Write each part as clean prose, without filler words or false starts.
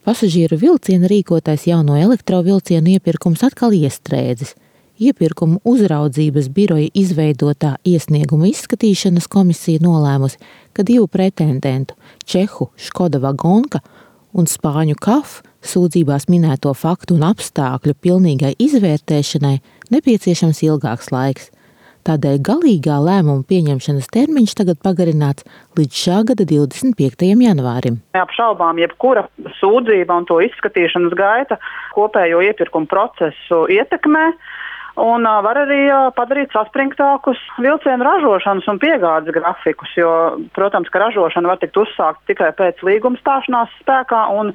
Pasažieru vilciena rīkotais jauno elektrovilcienu iepirkums atkal iestrēdzis. Iepirkumu uzraudzības biroja izveidotā iesnieguma izskatīšanas komisija nolēmusi, ka 2 pretendentu – čehu Škoda Vagonka un spāņu KAF sūdzībās minēto faktu un apstākļu pilnīgai izvērtēšanai nepieciešams ilgāks laiks. Tādēļ galīgā lēmuma pieņemšanas termiņš tagad pagarināts līdz šā gada 25. janvārim. Neapšaubām jebkura sūdzība un to izskatīšanas gaita kopējo iepirkumu procesu ietekmē un var arī padarīt saspringtākus vilcienu ražošanas un piegādes grafikus, jo, protams, ka ražošana var tikt uzsākt tikai pēc līguma stāšanās spēkā un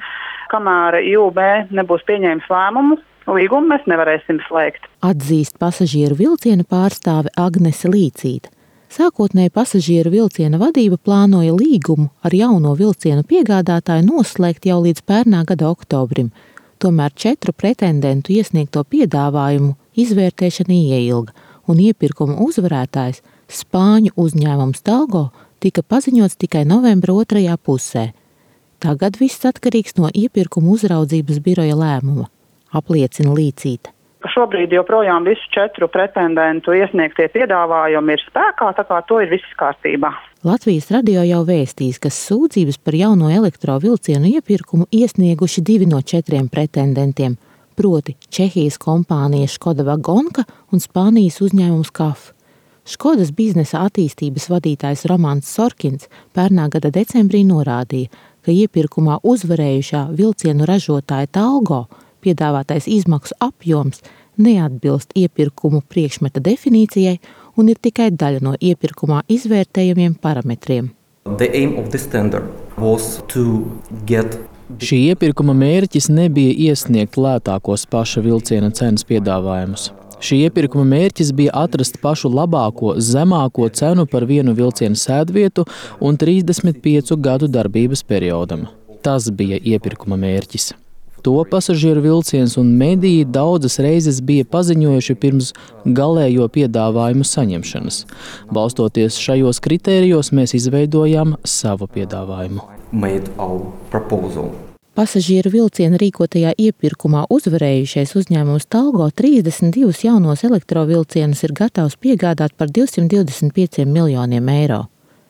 kamēr IUB nebūs pieņēmis lēmumu, līgumu mēs nevarēsim slēgt. Atzīst pasažieru vilciena pārstāve Agnese Līcīte. Sākotnēji pasažieru vilciena vadība plānoja līgumu ar jauno vilcienu piegādātāju noslēgt jau līdz pērnā gada oktobrim. Tomēr 4 pretendentu iesniegto piedāvājumu izvērtēšana ieilga, un iepirkuma uzvarētājs spāņu uzņēmums Talgo tika paziņots tikai novembra 2. pusē. Tagad viss atkarīgs no iepirkuma uzraudzības biroja lēmuma, apliecina Līcīte. Šobrīd joprojām visu 4 pretendentu iesniegtie piedāvājumi ir spēkā, tā kā to ir viss kārtībā. Latvijas radio jau vēstīs, ka sūdzības par jauno elektrovilcienu iepirkumu iesnieguši 2 no 4 pretendentiem, proti Čehijas kompānija Škoda Vagonka un Spānijas uzņēmums KAF. Škodas biznesa attīstības vadītājs Romans Sorkins pērnā gada decembrī norādīja, ka iepirkumā uzvarējušā vilcienu ražotāja Talgo piedāvātais izmaksu apjoms neatbilst iepirkumu priekšmeta definīcijai un ir tikai daļa no iepirkumā izvērtējumiem parametriem. Šī iepirkuma mērķis nebija iesniegt lētākos paša vilciena cenas piedāvājumus. Šī iepirkuma mērķis bija atrast pašu labāko, zemāko cenu par vienu vilcienu sēdvietu un 35 gadu darbības periodam. Tas bija iepirkuma mērķis. To pasažieru vilciens un mediji daudzas reizes bija paziņojuši pirms galējo piedāvājumu saņemšanas. Balstoties šajos kritērijos, mēs izveidojām savu piedāvājumu. Pasažieru vilciena rīkotajā iepirkumā uzvarējušais uzņēmums Talgo 32 jaunos elektrovilcienus ir gatavs piegādāt par 225 miljoniem eiro.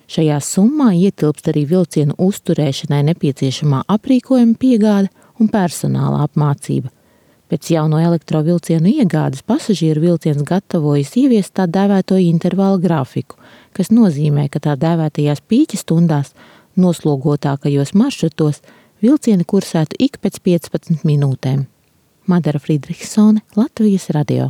Šajā summā ietilpst arī vilcienu uzturēšanai nepieciešamā aprīkojuma piegāde un personāla apmācība. Pēc jauno elektrovilcienu iegādes pasažieru vilciens gatavojas ieviest tā dēvēto intervālu grafiku, kas nozīmē, ka tā dēvētajās pīķa stundās noslogotākajos maršrutos vilcieni kursētu ik pēc 15 minūtēm. Madara Friedrichsone, Latvijas radio.